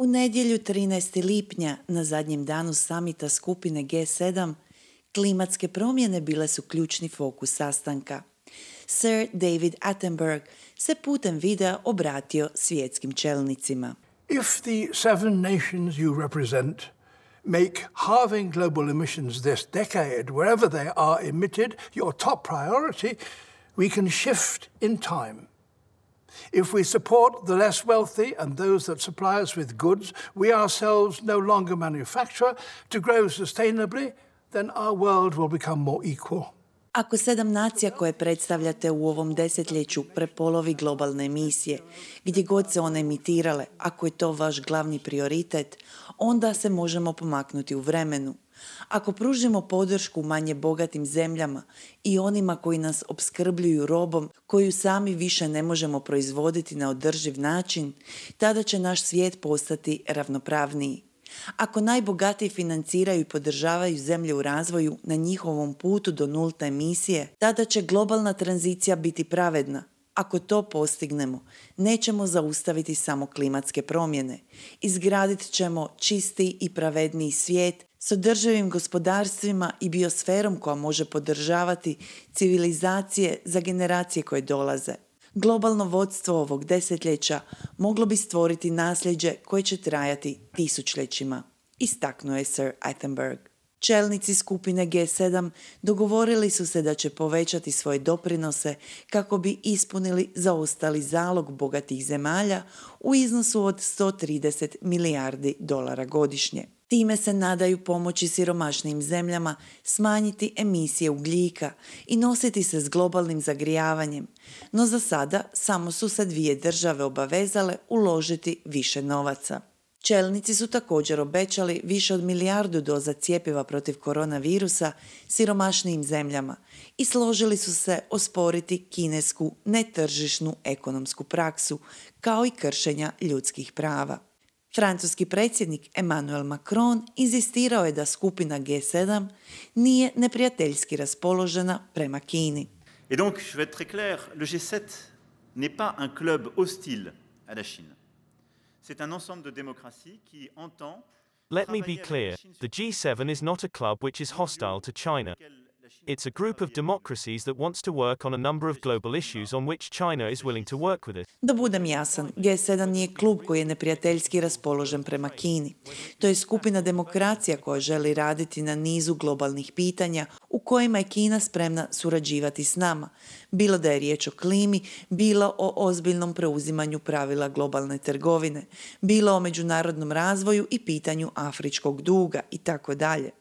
U nedjelju 13. lipnja, na zadnjem danu samita skupine G7, klimatske promjene bile su ključni fokus sastanka. Sir David Attenborough se putem videa obratio svjetskim čelnicima. If the 7 nations you represent make halving global emissions this decade, wherever they are emitted, your top priority, we can shift in time. If we support the less wealthy and those that supply us with goods we ourselves no longer manufacture to grow sustainably, then our world will become more equal. Ako 7 nacija koje predstavljate u ovom desetljeću prepolovi globalne emisije, gdje god se one emitirale, ako je to vaš glavni prioritet, onda se možemo pomaknuti u vremenu. Ako pružimo podršku manje bogatim zemljama i onima koji nas opskrbljuju robom koju sami više ne možemo proizvoditi na održiv način, tada će naš svijet postati ravnopravniji. Ako najbogatiji financiraju i podržavaju zemlje u razvoju na njihovom putu do nulte emisije, tada će globalna tranzicija biti pravedna. Ako to postignemo, nećemo zaustaviti samo klimatske promjene. Izgradit ćemo čistiji i pravedniji svijet s održivim gospodarstvima i biosferom koja može podržavati civilizacije za generacije koje dolaze. Globalno vodstvo ovog desetljeća moglo bi stvoriti nasljeđe koje će trajati tisućljećima, istaknuo je Sir Attenborough. Čelnici skupine G7 dogovorili su se da će povećati svoje doprinose kako bi ispunili zaostali zalog bogatih zemalja u iznosu od 130 milijardi dolara godišnje. Time se nadaju pomoći siromašnijim zemljama smanjiti emisije ugljika i nositi se s globalnim zagrijavanjem, no za sada samo su se 2 države obavezale uložiti više novaca. Čelnici su također obećali više od 1 milijardu doza cjepiva protiv koronavirusa siromašnijim zemljama i složili su se osporiti kinesku netržišnu ekonomsku praksu kao i kršenja ljudskih prava. Francuski predsjednik Emmanuel Macron inzistirao je da skupina G7 nije neprijateljski raspoložena prema Kini. Et donc, je vais être très clair, le G7 n'est pas un club hostile à la Chine. C'est un ensemble de démocraties qui entend. Let me be clear, the G7 is not a club which is hostile to China. It's a group of democracies that wants to work on a number of global issues on which China is willing to work with it. Da budem jasan, G7 nije klub koji je neprijateljski raspoložen prema Kini. To je skupina demokracija koja želi raditi na nizu globalnih pitanja u kojima je Kina spremna surađivati s nama, bilo da je riječ o klimi, bilo o ozbiljnom preuzimanju pravila globalne trgovine, bilo o međunarodnom razvoju i pitanju afričkog duga i tako dalje.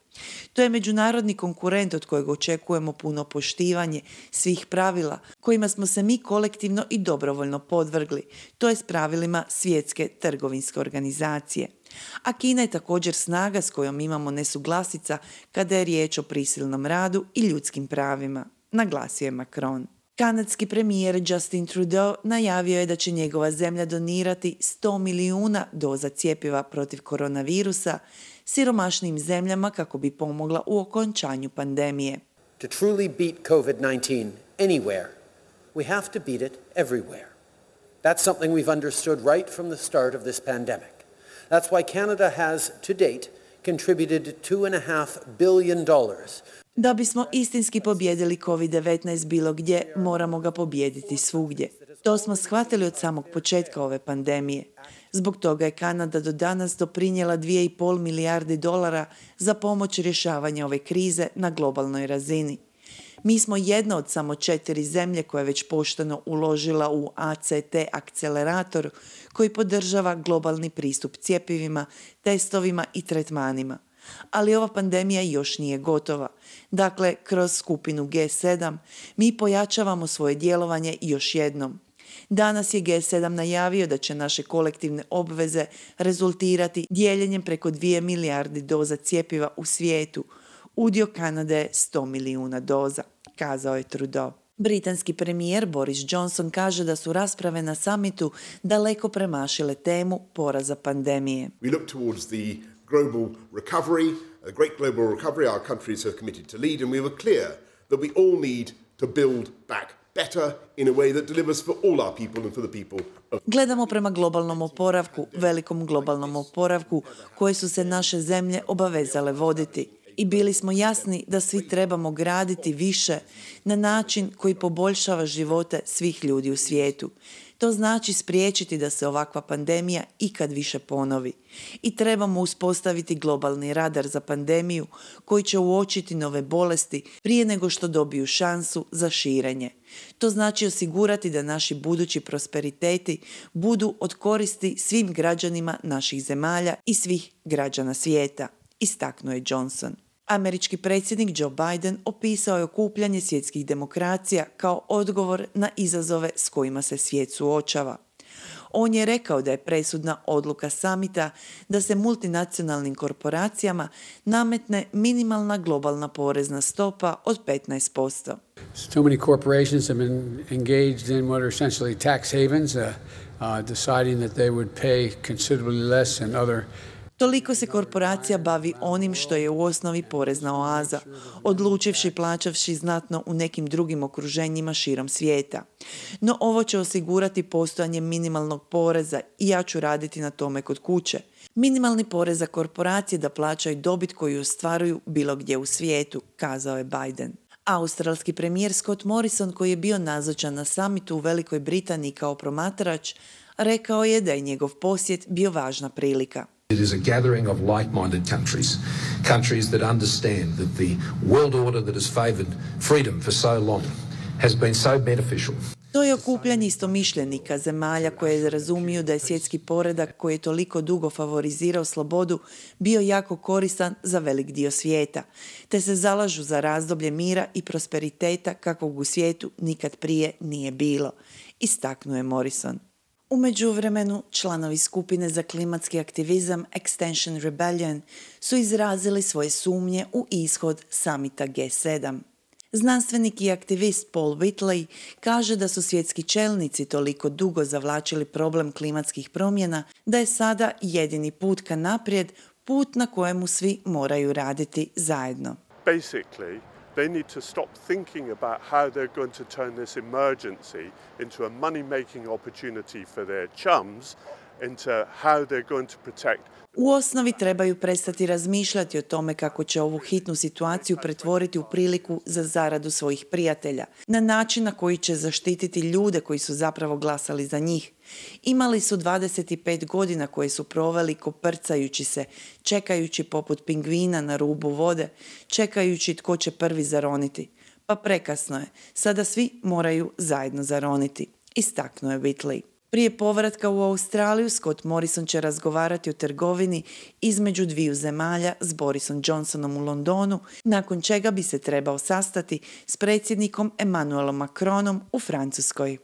To je međunarodni konkurent od kojeg očekujemo puno poštivanje svih pravila kojima smo se mi kolektivno i dobrovoljno podvrgli, to je s pravilima Svjetske trgovinske organizacije. A Kina je također snaga s kojom imamo nesuglasica kada je riječ o prisilnom radu i ljudskim pravima, naglasio je Macron. Kanadski premijer Justin Trudeau najavio je da će njegova zemlja donirati 100 milijuna doza cjepiva protiv koronavirusa siromašnim zemljama kako bi pomogla u okončanju pandemije. To truly beat COVID-19 anywhere, we have to beat it everywhere. That's something we've understood right from the start of this pandemic. That's why Canada has to date contributed $2.5 billion. Da bismo istinski pobijedili COVID-19 bilo gdje, moramo ga pobijediti svugdje. To smo shvatili od samog početka ove pandemije. Zbog toga je Kanada do danas doprinijela $2,5 milijardi za pomoć rješavanja ove krize na globalnoj razini. Mi smo jedna od samo 4 zemlje koja je već pošteno uložila u ACT akcelerator koji podržava globalni pristup cjepivima, testovima i tretmanima. Ali ova pandemija još nije gotova. Dakle, kroz skupinu G7 mi pojačavamo svoje djelovanje još jednom. Danas je G7 najavio da će naše kolektivne obveze rezultirati dijeljenjem preko 2 milijardi doza cjepiva u svijetu. Udio Kanade je 100 milijuna doza, kazao je Trudeau. Britanski premijer Boris Johnson kaže da su rasprave na samitu daleko premašile temu poraza pandemije. We look towards the global recovery, a great global recovery our countries have committed to lead, and we were clear that we all need to build back better in a way that delivers for all our people and for the people of Gledamo prema globalnom oporavku, velikom globalnom oporavku koje su se naše zemlje obavezale voditi. I bili smo jasni da svi trebamo graditi više na način koji poboljšava živote svih ljudi u svijetu. To znači spriječiti da se ovakva pandemija ikad više ponovi. I trebamo uspostaviti globalni radar za pandemiju koji će uočiti nove bolesti prije nego što dobiju šansu za širenje. To znači osigurati da naši budući prosperiteti budu od koristi svim građanima naših zemalja i svih građana svijeta, istaknuo je Johnson. Američki predsjednik Joe Biden opisao je okupljanje svjetskih demokracija kao odgovor na izazove s kojima se svijet suočava. On je rekao da je presudna odluka samita da se multinacionalnim korporacijama nametne minimalna globalna porezna stopa od 15%. Too many corporations have been engaged in what are essentially tax havens, deciding that they would pay considerably less than other. Toliko se korporacija bavi onim što je u osnovi porezna oaza, odlučivši plaćavši znatno u nekim drugim okruženjima širom svijeta. No ovo će osigurati postojanje minimalnog poreza i ja ću raditi na tome kod kuće. Minimalni porez za korporacije da plaćaju dobit koju ostvaruju bilo gdje u svijetu, kazao je Biden. Australski premijer Scott Morrison, koji je bio nazočan na samitu u Velikoj Britaniji kao promatrač, rekao je da je njegov posjet bio važna prilika. It is a gathering of like-minded countries that understand that the world order that has favoured freedom for so long has been so beneficial. To je okupljanje istomišljenika, zemalja koje razumiju da je svjetski poredak koji je toliko dugo favorizirao slobodu bio jako koristan za velik dio svijeta, te se zalažu za razdoblje mira i prosperiteta kakvog u svijetu nikad prije nije bilo, istaknuo je Morrison. U međuvremenu, članovi skupine za klimatski aktivizam Extinction Rebellion su izrazili svoje sumnje u ishod samita G7. Znanstvenik i aktivist Paul Whitley kaže da su svjetski čelnici toliko dugo zavlačili problem klimatskih promjena da je sada jedini put ka naprijed put na kojemu svi moraju raditi zajedno. Basically, they need to stop thinking about how they're going to turn this emergency into a money-making opportunity for their chums, into how they're going to protect. U osnovi trebaju prestati razmišljati o tome kako će ovu hitnu situaciju pretvoriti u priliku za zaradu svojih prijatelja, na način na koji će zaštititi ljude koji su zapravo glasali za njih. Imali su 25 godina koje su proveli koprcajući se, čekajući poput pingvina na rubu vode, čekajući tko će prvi zaroniti. Pa prekasno je, sada svi moraju zajedno zaroniti, istaknuo je Whitley. Prije povratka u Australiju, Scott Morrison će razgovarati o trgovini između dviju zemalja s Borisom Johnsonom u Londonu, nakon čega bi se trebao sastati s predsjednikom Emmanuelom Macronom u Francuskoj.